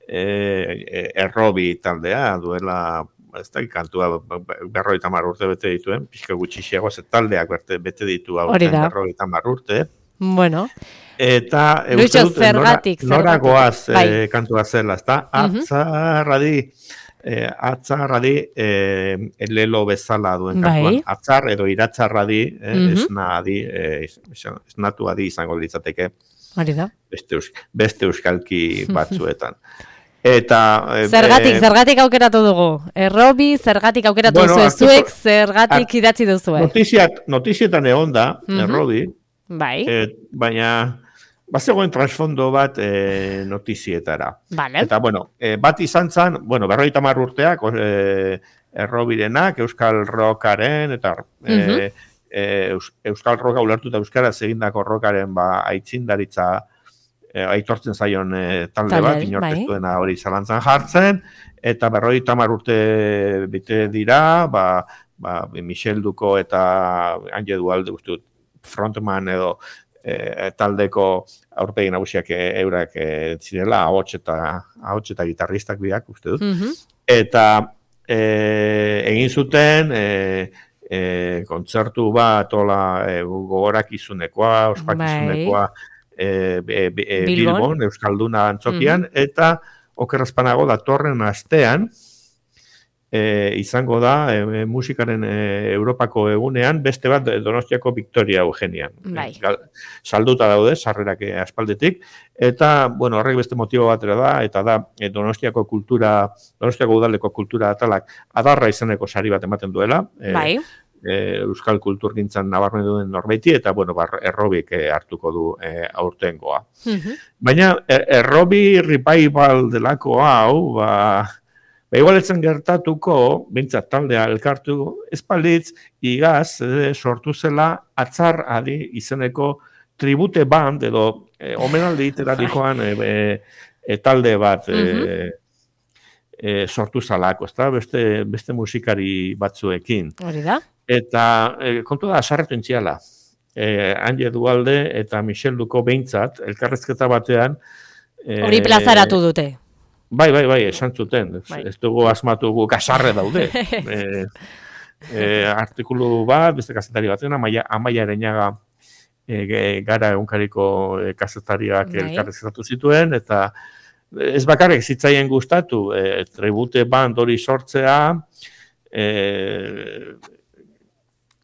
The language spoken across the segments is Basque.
errobi taldea, duela, ez da, kantua 50 urte bete dituen, pixka gutxixiago, taldeak bete ditu aurten 50 urte. Bueno. Eta uste dut nora goaz kantua zela, ezta? Atzarradi lelo bezala duen kantuan. Atzar edo iratzarradi, esnatu adi izango litzateke. Hori da. Beste euskalki batzuetan. Eta zergatik aukeratu dugu? Errobi, zergatik aukeratu duzu zuek, zergatik idatzi duzu? Notizietan egon da, errobi, baina bazegoen transfondo bat notizietara. Eta, bat izan zen, 50 urteak, errobirenak, euskal rockaren, eta euskal rocka ulertuta euskaraz egindako rockaren aitzindaritza aitortzen zaion talde bat, inorkestuena hori zalantzan jartzen, eta 50 urte bite dira, Michel Duko eta Anje Dualde guztut frontman edo taldeko aurpegi nagusiak eurak zirela, ahots eta gitarristak biak, uste dut. Eta egin zuten kontzertu bat gogorakizunekoa, ospakizunekoa Bilbon, Euskalduna antzokian, eta okerrazpanago datorren astean izango da musikaren Europako egunean beste bat Donostiako Victoria Eugenian. Salduta daude, sarrerak aspaldetik, eta, horrek beste motibo batera da, eta da Donostiako udaleko kultura atalak adarra izeneko sari bat ematen duela, euskal kulturgintzan nabarmen duen norbaiti, eta, errobik hartuko du aurtengoa. Baina, errobi revival delako hau, igualetzen gertatuko, bintzat taldea elkartu espalitz, igaz sortu zela atzar adi izeneko tribute band, edo omenaldi iterarikoan talde bat sortu zalako, beste musikari batzuekin. Hori da? Eta kontu da, asarretu entziala. Anje Dualde eta Michel Duko behintzat, elkarrezketa batean... Hori plazaratu dute. Bai, esan zuten. Ez dugu asmatu kasarre daude. Artikulu bat, beste kazetari batean, Amaia Ereñaga gara egunkariko kazetariak elkarrezketatu zituen, eta ez bakarrik zitzaien gustatu, tribute band hori sortzea,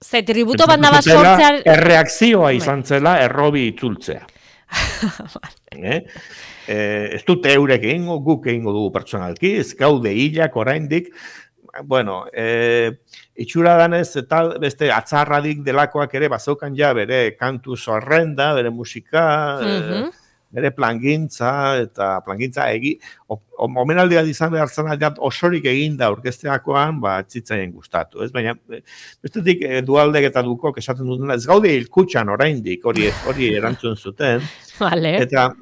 ze tributo banda bat sortzea... Erreakzioa izan zela errobi itzultzea. Ez dute eurek egingo, guk egingo dugu pertsonalki, ez gaude hilak oraindik, itxura danez, eta beste atzarradik delakoak ere bazaukan ja bere kantu zerrenda, bere musika, bere plangintza, eta plangintza omenaldia izan behar zen osorik eginda orkesteakoan, txitzaien gustatu, ez? Baina, bestetik Dualdek eta Dukok esaten dutena, ez gaude hilkutxan oraindik, hori erantzun zuten, eta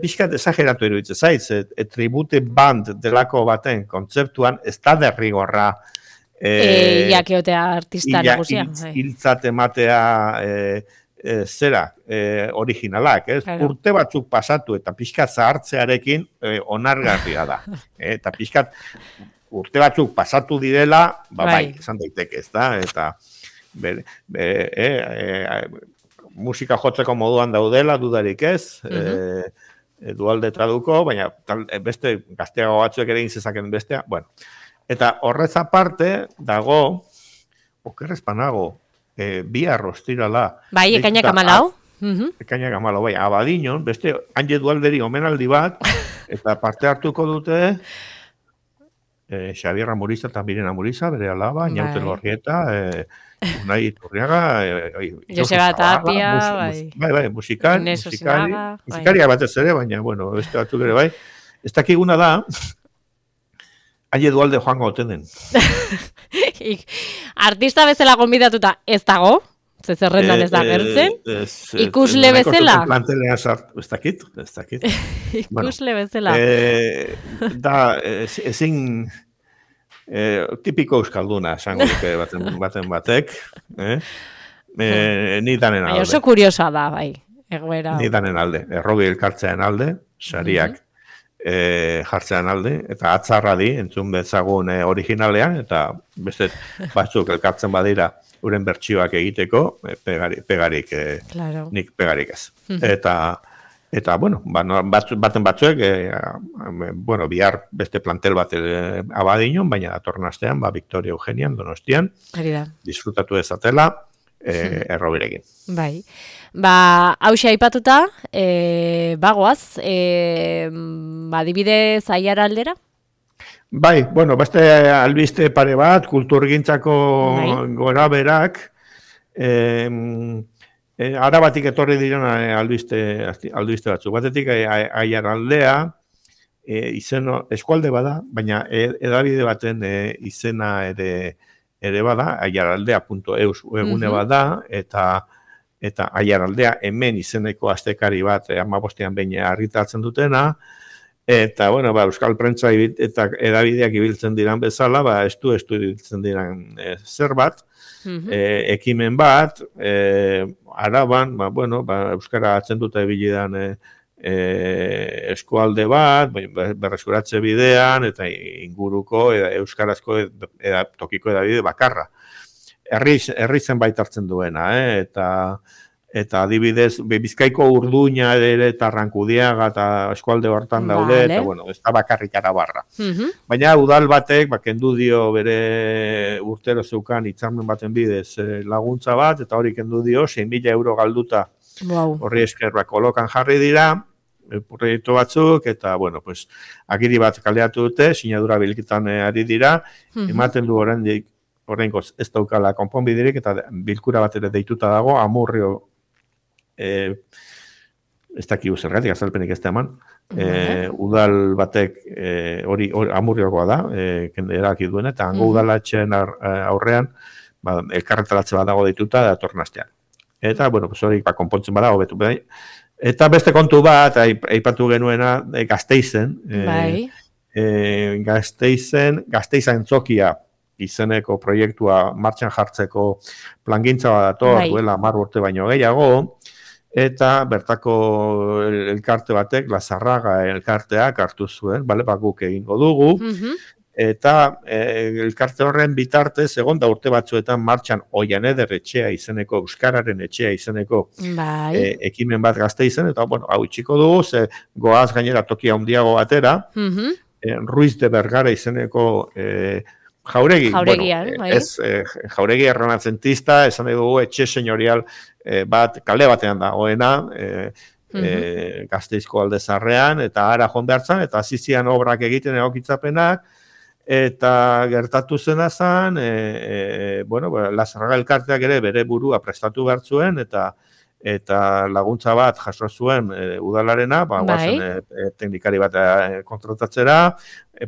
pixkat esageratu eruditzen zaiz, tribute band delako baten kontzeptuan, ez da derrigorra jakeotea artista nagusia. Hiltzat ematea originalak, ez? Urte batzuk pasatu eta pixkat zahartzearekin onargarria da. Eta pixkat urte batzuk pasatu direla, esan daiteke, ez da? Eta musika jotzeko moduan daudela, dudarik ez, Dualde traduko, baina beste gazteago batzuek ere inzezaken bestea, Eta horrez aparte, dago, okerrezpanago, bihar ostirala. Ekainak 14? Ekainak 14, Abadiñon, beste Anje Dualderi omenaldi bat, eta parte hartuko dute Xabier Amuriza eta Mirena Amuriza, bere alaba, Ñaute Lorrieta, Unai Iturriaga, Joseba Tapia, musikaria batez ere, baina, beste batzuk ere bai. Ez dakiguna da, Anje Dualde joango otenen. Artista bezala gonbidatuta ez dago, zerrendan ez da gertzen. Ikusle bezala? Ez dakit. Ikusle bezala. Da, ezin tipiko euskalduna, esango duke baten batek. Ni danen alde. Oso kuriosa da, bai. Ni danen alde. Errobi elkartzean alde, sariak jartzean alde, eta atzarra di, entzun bezagun originalean, eta beste batzuk elkartzen badira uren bertsioak egiteko, pegarik, nik pegarik ez. Eta bueno, baten batzuek, bihar beste plantel bat abadinon, baina datorren astean, Victoria Eugenian, Donostian, disfrutatu ezatela, errobirekin. Bai. Hauxe aipatuta, bagoaz, adibidez Aiara aldera? Bai, beste albiste pare bat, kulturgintzako gora berak, Arabatik etorri diren albiste batzuk. Batetik Aiara aldea, eskualde bada, baina edabide baten izena ere bada, aiaraldea.eus egune bada, eta Aiaraldea hemen izeneko astekari bat 15ean behin argitaratzen dutena, eta, euskal prentza eta edabideak ibiltzen diran bezala, estu ibiltzen diran zerbait, ekimen bat, Araban, euskara atzenduta ibilidan eskualde bat, berreskuratze bidean, eta inguruko euskarazko tokiko edabide bakarra. Herri zenbait hartzen duena, eta adibidez, Bizkaiko Urduña eta Arrankudiaga eta eskualde hortan daude, eta ez da bakarrik Arabarra. Baina udal batek, kendu dio bere urtero zeukan hitzarmen baten bidez laguntza bat, eta hori kendu dio, 6.000 euro galduta horri esker kolokan jarri dira, proiektu batzuk, eta, agiri bat kaleatu dute, sinadura bilketan ari dira, ematen du oraingoz ez daukala konponbiderik, eta bilkura bat ere deituta dago, Amurrio, ez dakigu zergatik, azalpenik ez da eman, udal batek hori Amurriokoa da, erabaki duena, eta hango udalatxeen aurrean, elkarretaratze bat dago deituta datorren astean. Eta, hori konpontzen badago betu. Eta beste kontu bat, aipatu genuena, Gasteizen, Gasteizen Zokia izeneko proiektua martxan jartzeko plangintza bat dator, duela 10 urte baino gehiago, eta bertako elkarte batek, Lazarraga elkarteak hartu zuen, guk egingo dugu, eta elkarte horren bitartez, egon da urte batzuetan martxan Oian Eder etxea izeneko, Euskararen etxea izeneko ekimen bat Gasteizen, eta hau itxiko dugu, ze goaz gainera tokia handiago batera, Ruiz de Bergara izeneko Jauregi, Jauregi errenazentista, esan dugu etxe senyorial bat, kalde batean dagoena, Gasteizko aldezarrean, eta ara joan behartzan, eta azizian obrak egiten egokitzapenak, eta gertatu zena zen, Lazarraga elkarteak ere bere burua prestatu behar zuen, eta laguntza bat jaso zuen udalarena, teknikari bat kontratatzera,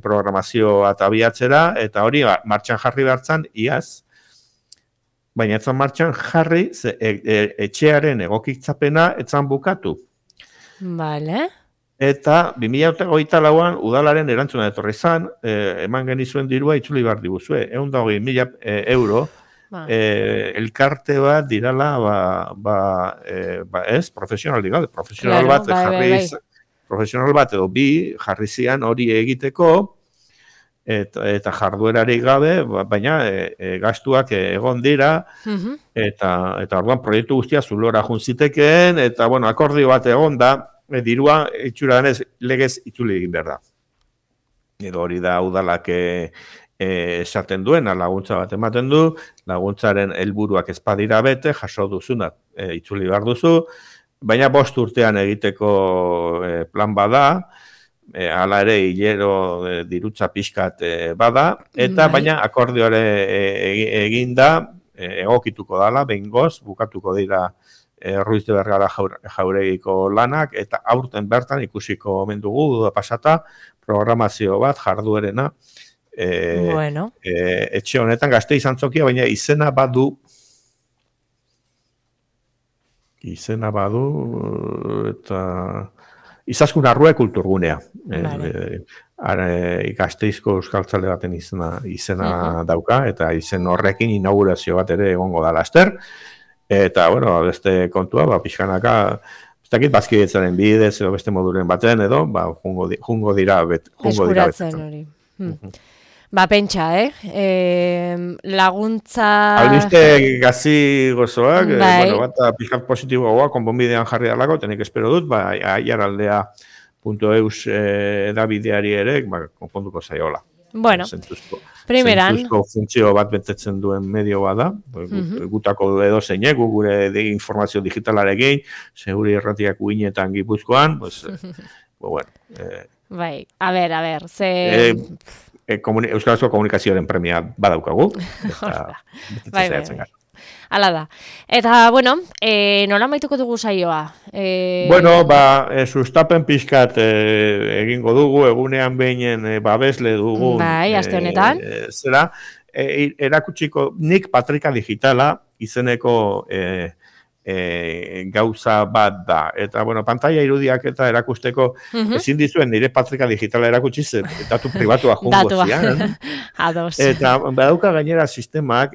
programazio bat abiatzera, eta hori martxan jarri behartzan, iaz, baina etzan martxan jarri, etxearen egokitzapena etzan bukatu. Eta 2024an udalaren erantzuna etorri zan, eman genizuen dirua itzuli behar diguzue, 120.000 euro, elkarte bat dirala, profesional bat edo bi jarri zian hori egiteko, eta jarduerarik gabe, baina gastuak egon dira, eta orduan proiektu guztia zulora juntzitekeen, eta akordio bat egon da, dirua itxura denez legez itzuli egin behar da. Edo hori da udalak esaten duena, laguntza bat ematen du, laguntzaren helburuak ez badira bete, jaso duzuna itzuli behar duzu, baina 5 urtean egiteko plan bada, hala ere hilero dirutza pixkat bada, eta baina akordioare eginda, egokituko dala, behingoz, bukatuko dira Ruiz de Bergara Jauregiko lanak, eta aurten bertan ikusiko omen dugu pasata, programazio bat jarduerena, etxe honetan Gasteiz Antzokia, baina izena badu eta Izaskun Arrue kulturgunea. Gasteizko euskaltzale baten izena dauka, eta izen horrekin inaugurazio bat ere egongo da laster. Eta, beste kontua, pixkanaka, dakit bazkidetzaren bidez edo beste moduren baten edo, jungo dira eskuratzen hori. Ba, pentsa, laguntza... Albiste gazi gozoak, bat pixkat positiboa, konponbidean jarri dalako, tenik espero dut, aiaraldea.eus edabideari ere, konponduko zaiola. Bueno, primeran... Zentzuzko funtzio bat betetzen duen medio bada, gutako edo zeinek, gure informazio digitalarekin, seguri erratiak uinetan Gipuzkoan, bueno... Bai, a ber, ze... Euskarazko komunikazioaren premia badaukagu. Bai. Hala da. Eta, bueno, nola maituko dugu saioa? Sustapen pixkat egingo dugu, egunean behinen babesle dugu. Bai, aste honetan. Zera, erakutsiko nik Patrika Digitala izeneko gauza bat da. Eta, pantalla irudiak eta erakusteko ezin dizuen nire Patrika Digitala erakutsi datu pribatua jungo zian. Eta badauka gainera sistemak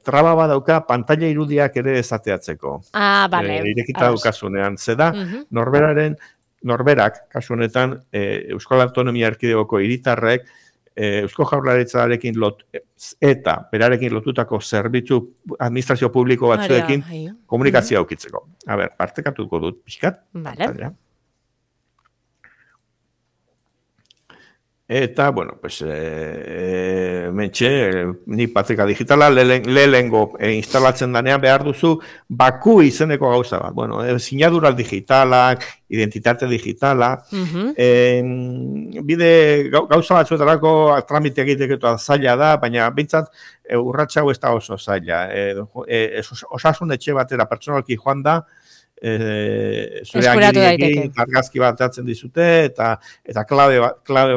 traba badauka pantalla irudiak ere ezateatzeko. Bale. Irekita daukasunean. Zeda, norberak, kasu honetan, Euskal Autonomia Erkidegoko hiritarrek, Eusko Jaurlaritzarekin eta berarekin lotutako zerbitzu administrazio publiko batzuekin komunikazioa aukitzeko. Partekatuko dut pixkat. Vale. Eta, mentxe, ni Patrika Digitala lehengo instalatzen danean behar duzu baku izeneko gauza bat. Sinadural digitalak, identitate digitala, bide gauza batzuetarako tramite egiteko zaila da, baina bintzat urratxau ez da oso zaila. Osasun etxe batera pertsonalki joan da, zure agirekin argazki bat atzen dizute eta klabe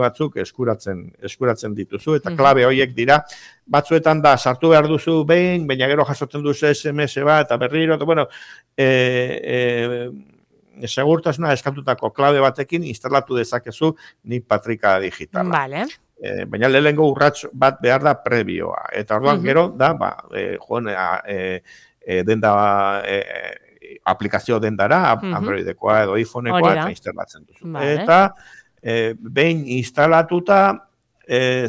batzuk eskuratzen dituzu eta klabe horiek dira batzuetan da sartu behar duzu behin, baina gero jasotzen duzu SMS bat eta berriro, segurtasuna eskatutako klabe batekin instalatu dezakezu ni Patrika Digitala. Vale. Baina lehengo urrats bat behar da prebioa eta orduan gero da denda aplikazio dendara, Androidekoa edo iPhonekoa, eta instalatzen duzu. Eta, behin instalatuta,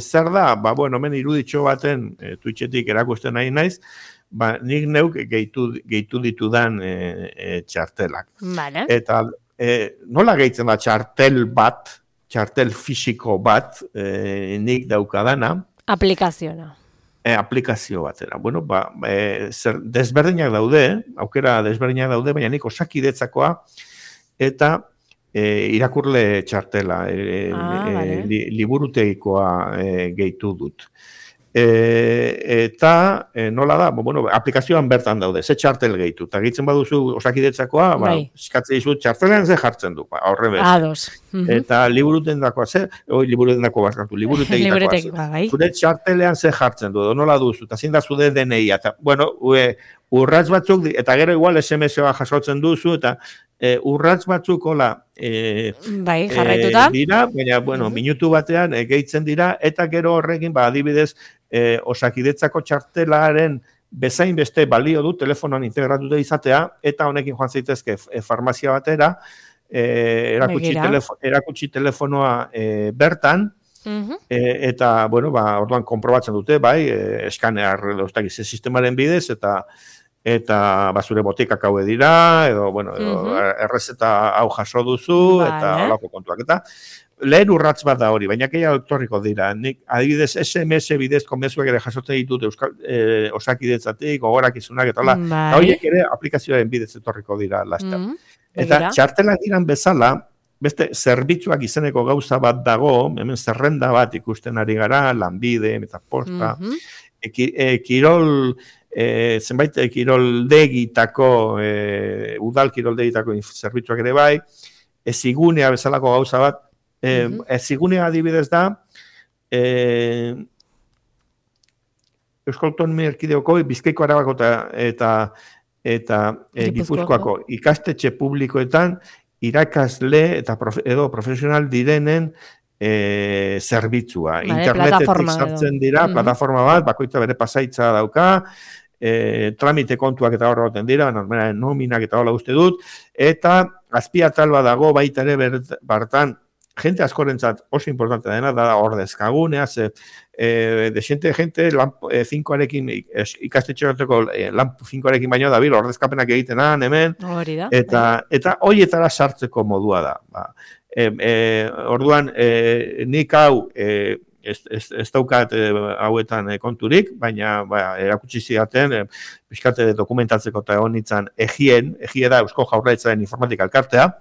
zer da? Hemen iruditxo baten, Twitchetik erakusten nahi naiz, nik neuk gehitu ditudan txartelak. Eta, nola gehitzen da txartel fisiko bat, nik daukadana? Aplikazio batera. Desberdinak daude, aukera desberdinak daude, baina nik Osakidetzakoa eta irakurle txartela, liburutegikoa gehitu dut. Eta nola da, aplikazioan bertan daude, ze txartel gehitu. Eta gehitzen baduzu Osakidetzakoa, eskatzen dizu txartelean ze jartzen du, horre beste. Eta liburutegikoa zure txartelean ze jartzen du, nola duzu, eta zein da zude DNI. Urratz batzuk, eta gero igual SMS-a jasotzen duzu, eta urratz batzuk dira, baina minutu batean gehitzen dira, eta gero horrekin, adibidez, Osakidetzako txartelaren bezain beste balio du telefonoan integratuta izatea, eta honekin joan zaitezke farmazia batera, erakutsi telefonoa bertan, eta, orduan konprobatzen dute, eskanear sistemaren bidez, eta zure botikak hauek dira, edo errezeta hau jaso duzu, eta holako kontuak. Eta lehen urratz bat da hori, baina gehiago etorriko dira. Nik adibidez SMS bidezko mezuak ere jasotzen ditut Osakidetzatik, gogorakizunak eta hola. Eta horiek ere aplikazioaren bidez etorriko dira laster. Eta txartelak diran bezala, beste zerbitzuak izeneko gauza bat dago, hemen zerrenda bat ikusten ari gara, lanbide, metaposta, kirol, zenbait kiroldegitako, udal kiroldegitako zerbitzuak ere bai, ezigunea bezalako gauza bat, ezigunea adibidez da, Euskal Autonomia Erkidegoko, Bizkaiko, Arabako eta Gipuzkoako ikastetxe publikoetan irakasle edo profesional direnen zerbitzua. Internetetik sartzen dira, plataforma bat, bakoitza bere pasaitza dauka, tramite kontuak eta horra goten dira, normeraren nominak eta hola uste dut, eta azpiatal bat dago baita ere bartan, jente askorentzat oso importante dena, da ordezkagunea, desente jente lan 5arekin ikastetxerateko lan 5arekin baino dabil ordezkapenak egitenan hemen, eta hoietara sartzeko modua da. Orduan, nik hau ez daukat hauetan konturik, baina erakutsi zidaten, pixkate dokumentatzeko eta honitzen egie da Eusko Jaurlaritzaren informatika elkartea,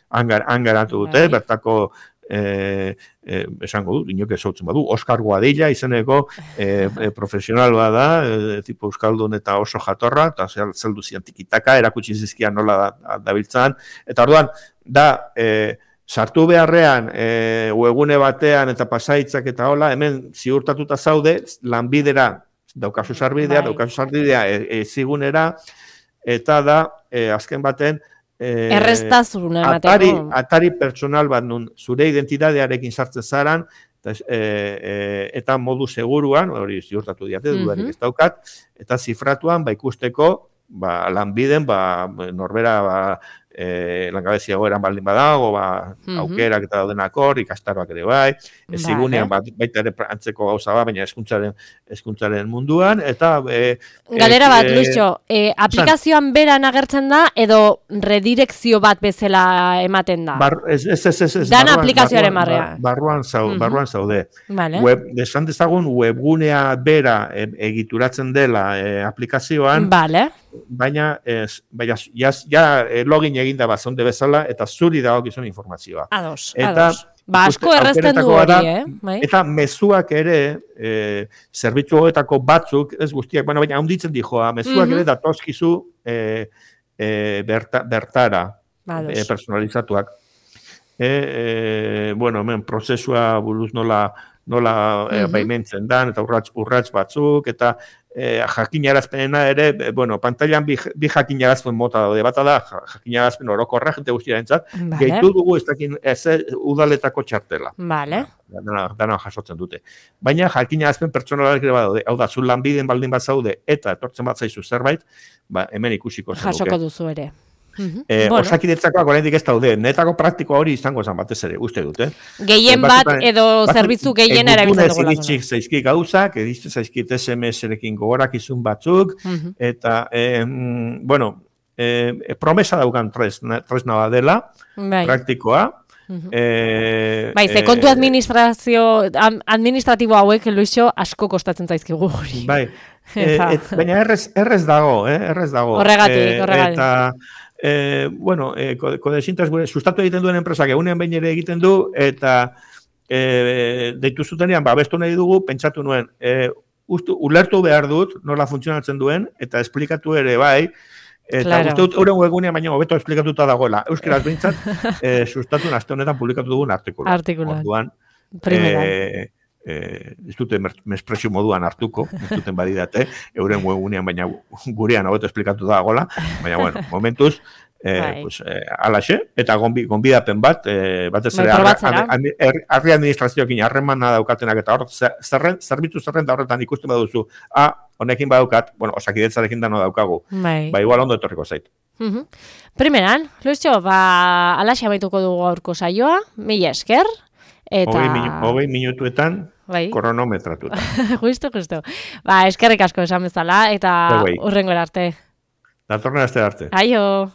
han garatu dute, bertako esango du, inok ezautzen badu, Oskar Guadilla izeneko profesional bada, tipo euskaldun eta oso jatorra, eta zeldu zian tikitaka, erakutsi zizkian nola dabiltzan, eta orduan, da, sartu beharrean, webgune batean eta pasaitzak eta hola, hemen ziurtatuta zaude, lanbidera, daukazu sarbidea, zigunera, eta da, azken baten, erreztazuna emateko. Atari pertsonal bat nun zure identitatearekin sartzen zaran, eta modu seguruan, hori ziurtatu diate, dudarik ez daukat, eta zifratuan, ikusteko, lanbiden, norbera, langabezia goeran baldin badago, aukerak eta daudenakor, ikastaroak ere bai, zigunean baita ere antzeko gauza baina hezkuntzaren munduan, eta... Galera bat, Luixo, aplikazioan beran agertzen da, edo redirekzio bat bezala ematen da? Dana aplikazioaren barrean. Barruan zaude. Desan dezagun, webgunea bera egituratzen dela aplikazioan, baina login eginda bazonde bezala, eta zuri dagokizun informazioa. Ados. Asko errezten du hori, Eta mezuak ere, zerbitzu horietako batzuk, ez guztiak, baina handitzen dijoa, mezuak ere datozkizu bertara, personalizatuak. Hemen prozesua buruz nola baimentzen dan, eta urrats batzuk, eta jakinarazpenena ere, pantailan bi jakinarazpen mota daude, bata da, jakinarazpen orokorra, jente guztiarentzat, gehitu dugu ez udaletako txartela. Dana jasotzen dute. Baina jakinarazpen pertsonalak ere badaude, hau da, zu lanbiden baldin bat zaude, eta etortzen bat zaizu zerbait, hemen ikusiko zen duke. Jasoko duzu ere. Osakidetzakoak oraindik ez daude, netako praktikoa hori izango zen batez ere, uste dute. Gehien bat edo zerbitzu gehien erabiltzen dugu. Egitzik zaizkik gauzak, egitzik zaizkit SMS-erekin gogorakizun batzuk, eta, promesa daukan tresna bat dela, praktikoa. Ze kontu administratibo hauek, Luixo, asko kostatzen zaizkigu hori. Baina errez dago, Horregatik. Eta, kodesintaz sustatu egiten duen enpresak egunean behin ere egiten du, eta deitu zutenean, abestu nahi dugu, pentsatu nuen, ulertu behar dut, nola funtzionatzen duen, eta esplikatu ere bai, eta uste dut euren webgunean baina hobeto esplikatuta dagoela. Euskaraz behintzat, sustatu aste honetan publikatu dugun artikulan. Orduan, ez dute mespresio moduan hartuko, ez duten badidate, euren webgunean baina gurean hobeto esplikatu dagoela, baina, momentuz, alaxe, eta gonbidapen bat, batez ere, arri administrazioekin harremana daukatenak, eta hor, zerbitzu zerrenda horretan ikusten baduzu, honekin badaukat, osakidetzarekin dano daukagu, igual ondo etorriko zait. Primeran, Luixo, alaxe amaituko dugu aurko saioa, mila esker, eta... 20 minutuetan, kronometratuta. Justo. Eskerrik asko esan bezala, eta hurrengora arte. Datorren aste arte. Aio!